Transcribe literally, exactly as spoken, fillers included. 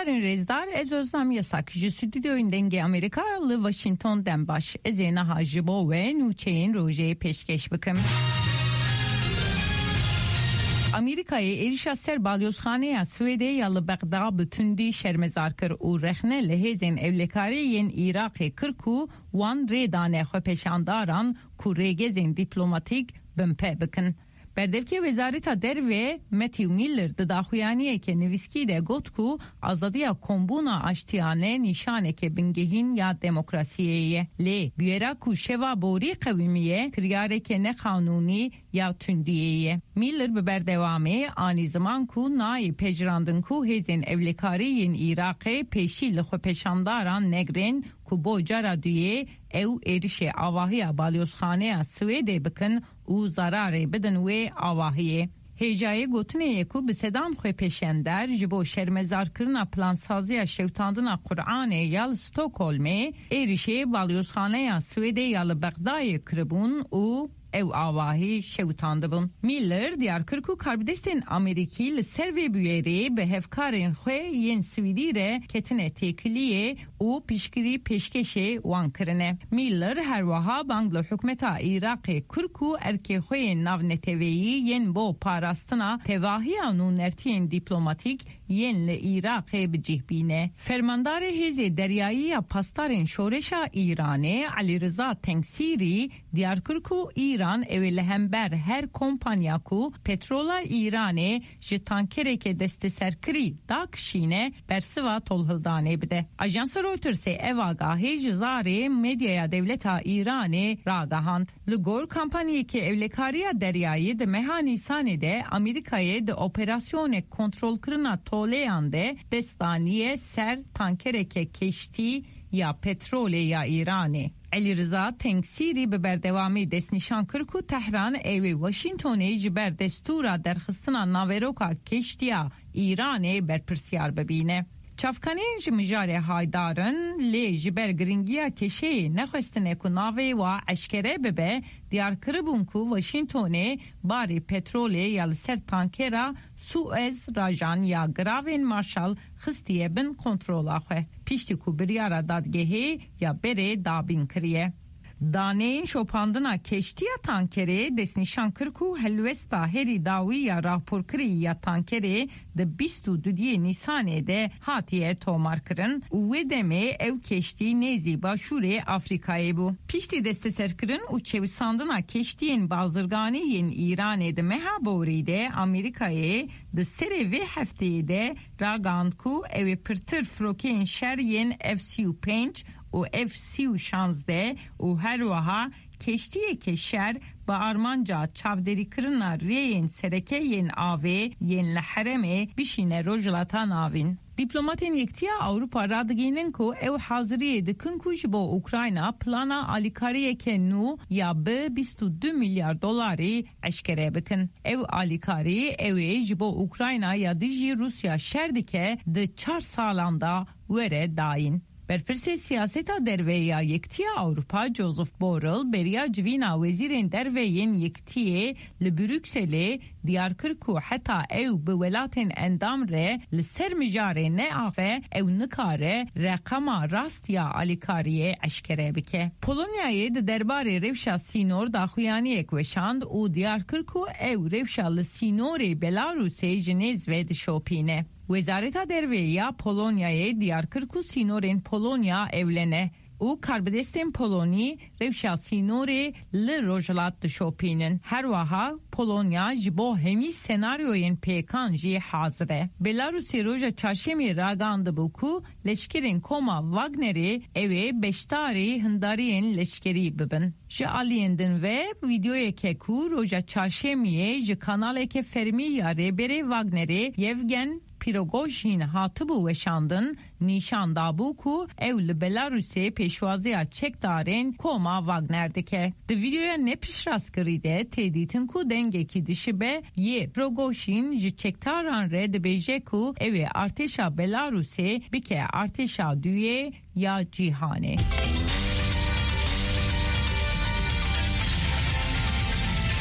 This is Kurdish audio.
Rêzdar, ez Özlem Yasak, ji stûdyoyên Dengê Amerîka li Washington dem baş. Ez ê niha ji bo we nûçeyên rojê pêşkêş bikim. Amerîkayê êrişa ser balyozxaneya Swêdê ya li Bexda bi tundî şermezar kir û rexne li hêzên ewlekarî yên Iraqê kir ku wan rê dane xwepêşandaran ku rêgezên dîplomatîk binpê bikin. Berdevkê Wezareta Derve Matthew Miller di daxuyaniyeke nivîskî de got ku azadiya kombûna aştiyane nîşaneke bingehîn ya demokrasiyê ye. Lê bûyera ku şeva borî qewimiye, kiryareke neqanûnî ya tundiyê ye. Miller bi berdewamî anî ziman ku nayê pejirandin ku hêzên ewlekarî yên Iraqê pêşî li xwepêşandaran negirên ku bo cara duyê ew êrişê avahiya balyozxaneya Swêdê bikin û zararê bidin wê avahiyê. Hêjayê gotinê ye ku bi sedan xwepêşandar ji bo şermezarkirina plansaziya şewitandina Quranê ya li Stockholmê êrişê balyozxaneya Swêdê ya li Bexdayê kiribûn û ew avahî şewitandibûn. Miller diyar kir ku karbidestên Amerîkî li ser vê bûyerê bi hevkarên xwe yên Swîdî re ketine têkiliyê û piştgirî pêşkêşê wan kirine. Miller her wiha bang li hikûmeta Iraqê kir ku erkê xwe yên navneteweyî yên bo parastina tevahiya nûnertiyên dîplomatîk yên li Iraqê bi cih bîne. Fermandarê Hêzê Deryayî ya Pasdarên Şoreşa Îranê Elî Riza Tengsîrî diyar kir ku Îran ew ê li hember her kompanya ku petrola Îranê ji tankereke desteserkirî dakişîne, bersiva tolhildanê bide. Ajansa Reutersê ev agahî ji zarê medyaya dewleta Îranê ragihand. Li gor kampanyeke ewlekariya deryayî di meha Nîsanê de Amerîkayê di operasyonek kontrolkirina toleyan de dest daniye ser tankereke keştî ya petrolê ya Îranê. Elî Riza Tengsîrî bi berdewamî destnîşan kir ku Tehran ew ê Washingtonê ji ber destûra derxistina naveroka keştiya Îranê berpirsiyar bibîne. Çavkaniyên ji mijarê haydar in, lê ji ber giringiya kêşeyê nexwestine ku navê wa eşkere bibe, diyar kiribûn ku Washingtonê barê petrolê ya li ser tankera Suez rajan ya giravên Marshall xistiye bin kontrola xwe, piştî ku biryara dadgehê ya berê dabîn kiriye. Daneyên şopandina keştiya tankerê destnîşan kir ku helwesta herî dawî ya raporkirî ya tankerê di bîst û duyê Nîsanê de hatiye tomarkirin û wê demê ew keştî nêzî başûrê Afrîkayê bû. Piştî desteserkirin û çewisandina keştiyên bazirganî yên Îranê di meha borî de Amerîkayê di serê vê hefteyê de ragihand ku ew ê pirtir firokeyên şer yên F sî û pênc û F sî û şazdeh û her wiha keştiyeke şer bi armanca çavderîkirina rêyên sereke yên avê yên li herêmê bişîne Rojhilata Navîn. Dîplomatên Yekitiya Ewropa radigihînin ku ew haziriyê dikin ku ji bo Ukrayna plana alîkariyeke nû ya bi bîst û du milyar dolarî eşkere bikin. Ew alîkarî ew ê ji bo Ukrayna ya dijî Rûsya şer dike di çar salan de were dayîn. Berpirsê siyaseta derve ya Yekitiya Ewropa Joseph Borrell beriya civîna wezîrên derve yên Yekitiyê li Brukselê diyar kir ku heta ew bi welatên endam re li ser mijarê neaxe, ew nikare reqema rast ya alîkariyê eşkere bike. Polonyayê di derbarê rewşa sînor daxuyaniyek weşand û diyar kir ku ew rewşa li sînorê Belarusê ji nêz ve dişopîne. Wezareta Derve ya Polonyayê diyar kir ku sînorên Polonya ewle ne û karbidestên Polonî rewşa sînorê li rojhilat dişopînin. Her wiha Polonya ji bo hemî senaryoyên pêkan jî hazir e. Belarusê roja çarşemê ragandibû ku leşkerên koma Wagnerê ew ê beşdarî hindariyên leşkerî bibin. Ji aliyên din ve, vîdeoyeke ku roja çarşemiyê ji kanaleke fermî ya rêberê Wagnerê Yevgen Prigojîn hatibû weşandin, nîşan dabû ku ew li Belarusê pêşwaziya çekdarên koma Wagner dike. Di vîdeoya ne piştrastkirî de tê dîtin ku dengekî dişibe yê Prigojîn ji çekdaran re dibêje ku ew ê artêşa Belarusê bike artêşa duyê ya cîhanê.